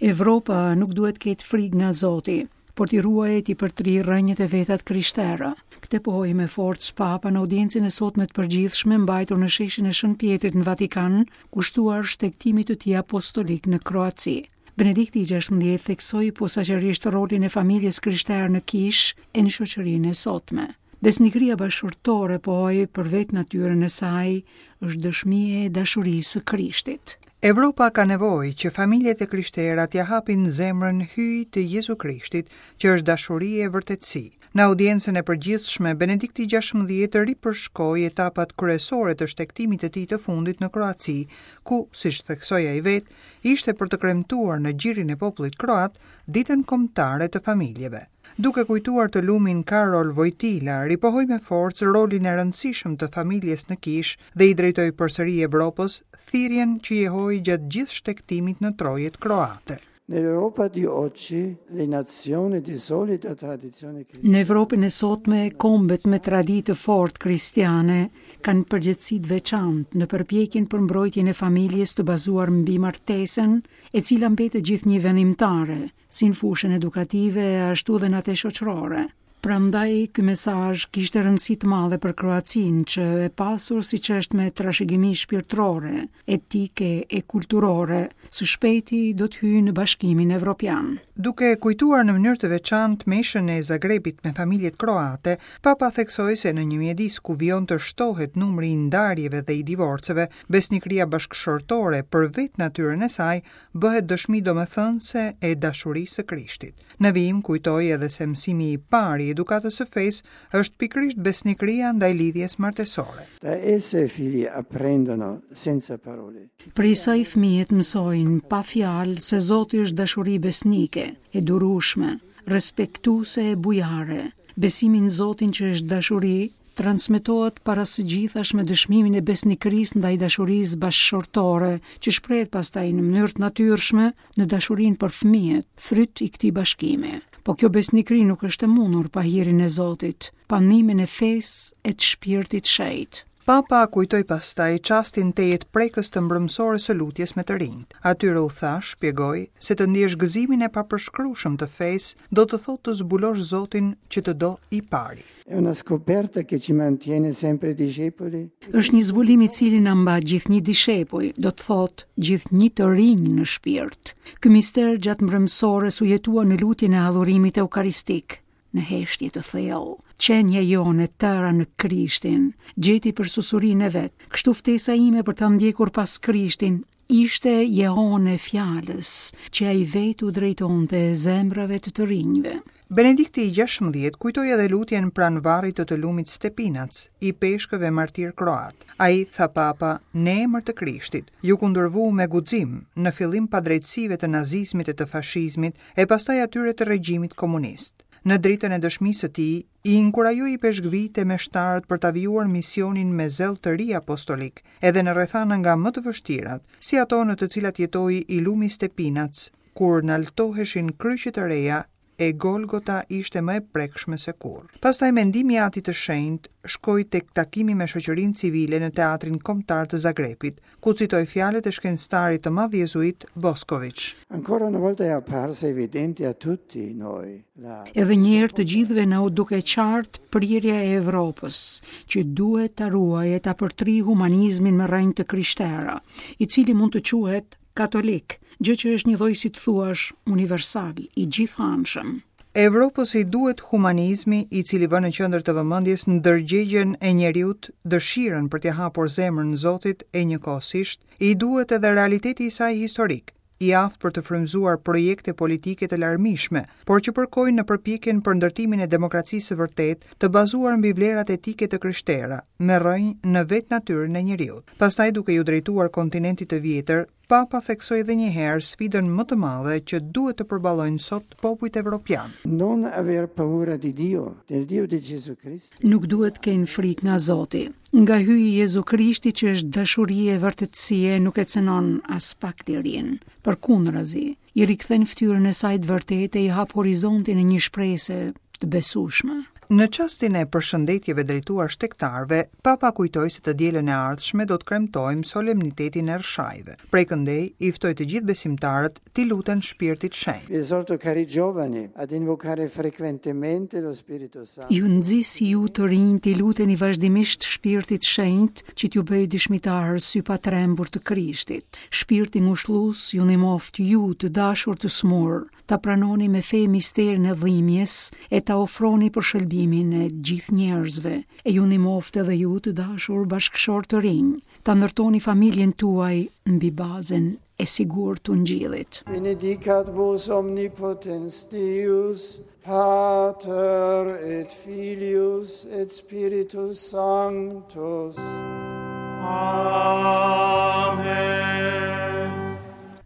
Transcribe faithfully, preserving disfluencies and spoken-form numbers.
Evropa nuk duhet ketë frikë nga Zoti, por t'i ruajë e t'i përtrijë rrënjët e veta të krishtera. Këtë pohoi me forcë Papa në audiencën e sotme të përgjithshme mbajtur në sheshin e Shën Pjetrit në Vatikan, kushtuar shtegtimit të tij apostolik në Kroaci. Benedikti i gjashtëmbëdhjetë theksoi posaçërisht rolin e familjes krishterë në kishë e në shoqërinë e sotme. Besnikëria bashkëshortore, pohoi, për vetë natyrën e saj, është dëshmi e dashurisë së Krishtit. Evropa ka nevojë që familjet e krishtera t'ia hapin zemrën hyjit të Jezu Krishtit, që është dashuri e vërtetësi. Në audiencën e përgjithshme, Benedikti i gjashtëmbëdhjetë ripërshkoi etapat kryesore të shtegtimit të tij të fundit në Kroaci, ku, siç theksoi ai vetë, ishte për të kremtuar në gjirin e popullit kroat ditën kombëtare të familjeve. Duke kujtuar të lumin Karol Vojtila, ripohoi me forcë rolin e rëndësishëm të familjes në kishë dhe i drejtoi përsëri Evropës thirrjen që jehoi gjatë gjithë shtegtimit në trojet kroate. Nell'Europa di oggi le nazioni di solida tradizione cristiana Në Evropën e sotme, kombet me traditë të fortë kristiane kanë përgjegjësi të veçantë në përpjekjen për mbrojtjen e familjes të bazuar mbi martesën, e cila mbetet gjithnjë vendimtare, si në fushën edukative ashtu edhe në atë shoqërore. Prandaj ky mesazh kishte rëndësi të madhe për Kroacinë, që e pasur siç është me trashëgimi shpirtërore, etike e kulturore, së shpejti do të hyjë në Bashkimin Evropian. Duke kujtuar në mënyrë të veçantë meshën e Zagrebit me familjet kroate, Papa theksoi se në një mjedis ku vijon të shtohet numri i ndarjeve dhe i divorceve, besnikëria bashkëshortore për vetë natyrën e saj bëhet dëshmi domethënëse e dashurisë së Krishtit. Në vijim kujtoi edhe se mësimi i parë i edukatës së fesë është pikërisht besnikëria ndaj lidhjes martesore. Da esse i figli apprendono senza parole. Prej saj fëmijët mësojnë pa fjalë se Zoti është dashuri besnike, e durueshme, respektuese e bujare. Besimi në Zotin që është dashuri transmetohet para së gjithash me dëshmimin e besnikërisë ndaj dashurisë bashkëshortore, që shprehet pastaj në mënyrë të natyrshme në dashurinë për fëmijët, fryt i këtij bashkimi. Po kjo besnikëri nuk është e mundur pa hirin e Zotit, pa ndihmën e fesë e të shpirtit shenjt. Papa kujtoi pastaj çastin tejet prekës të mbrëmsores së lutjes me të rinjt. Atyre u tha, shpjegoi, se të ndjesh gëzimin e papërshkrueshëm të fesë do të thotë të zbulosh Zotin që të do i pari. È una scoperta che ci mantiene sempre discepoli. Është një zbulim i cili na mba gjithnjë dishepuj, do të thotë gjithnjë të rinj në shpirt. Ky mister gjatë mbrëmsores u jetua në lutjen e adhurimit eukaristik, në heshtje të thellë. Qenia jonë e tëra në Krishtin gjeti për susurinë e vet. Kështu ftesa ime për ta ndjekur pas Krishtin ishte jehone e fjalës që ai vetë u drejtonte zemrave të të rinjve. Benedikti i gjashtëmbëdhjetë kujtoi edhe lutjen pranë varrit të të lumit Stepinac, i peshkëve martir kroat. Ai, tha Papa, në emër të Krishtit, ju kundërvu me guxim në fillim padrejtësive të nazizmit e të fashizmit e pastaj atyre të regjimit komunist. Në dritën e dëshmisë së tij, i inkurajoi peshkvit e meshtarët për ta vijuar misionin me zell të ri apostolik, edhe në rrethana nga më të vështirat, si ato në të cilat jetoi i lumi Stepinac, kur naltoheshin kryqe të reja e Golgota ishte më e prekshme se kurrë. Pastaj mendimi i Atit të Shenjtë shkoi tek takimi me shoqërinë civile në Teatrin Kombëtar të Zagrebit, ku citoi fjalët e shkencëtarit të madh jezuit Boskovic. Ancora una volta è apparsa evidente a tutti noi la Edhe një herë të gjithëve na u duke qartë prirja e Evropës, që duhet ta ruajë e ta përtrijë humanizmin me rrënjë të krishtera, i cili mund të quhet katolik, gjë që është një lloj si të thuash universal, i gjithanshëm. Evropës i duhet humanizmi, i cili vë në qendër të vëmendjes ndërgjegjen e njeriut, dëshirën për t'i hapur zemrën Zotit e njëkohësisht, i duhet edhe realiteti i saj historik, i aftë për të frymëzuar projekte politike të larmishme, por që përkojnë në përpjekjen për ndërtimin e demokracisë së vërtetë, të bazuar mbi vlerat etike të krishtera, me rrënjë në vetë natyrën e njeriut. Pastaj, duke ju drejtuar kontinentit të vjetër, Papa theksoi edhe një herë sfidën më të madhe që duhet të përballojnë sot popujt evropian. Non aver paura di Dio, del Dio di Gesù Cristo. Nuk duhet kenë frikë nga Zoti. Nga hyji Jezu Krishti që është dashuri e vërtetësie nuk e cënon as pak lirinë. Përkundrazi, i rikthen fytyrën e saj të vërtetë e i hap horizontin e një shprese të besueshme. Në çastin e përshëndetjeve drejtuar shtegtarëve, Papa kujtoi se të dielën e ardhshme do të kremtojmë solemnitetin e Rrëshajve. Prej këndej i ftoi të gjithë besimtarët t'i luten Shpirtit Shenjt. Vi esorto, cari giovani, ad invocare frequentemente lo Spirito Santo. Ju nxis ju të rinj t'i luteni vazhdimisht Shpirtit Shenjt që t'ju bëjë dëshmitar sypatrembur të Krishtit. Shpirti ngushëllues ju ndihmoftë ju të dashur të smur, ta pranoni me fe misterin e dhimbjes e ta ofroni për shëlbimin e gjithë njerëzve. E ju ndihmoftë edhe ju të dashur bashkëshortë të rinj, ta ndërtoni familjen tuaj mbi bazën e sigurt të ungjillit. Benedicat vos omnipotens Deus, Pater et Filius et Spiritus Sanctus. Amen.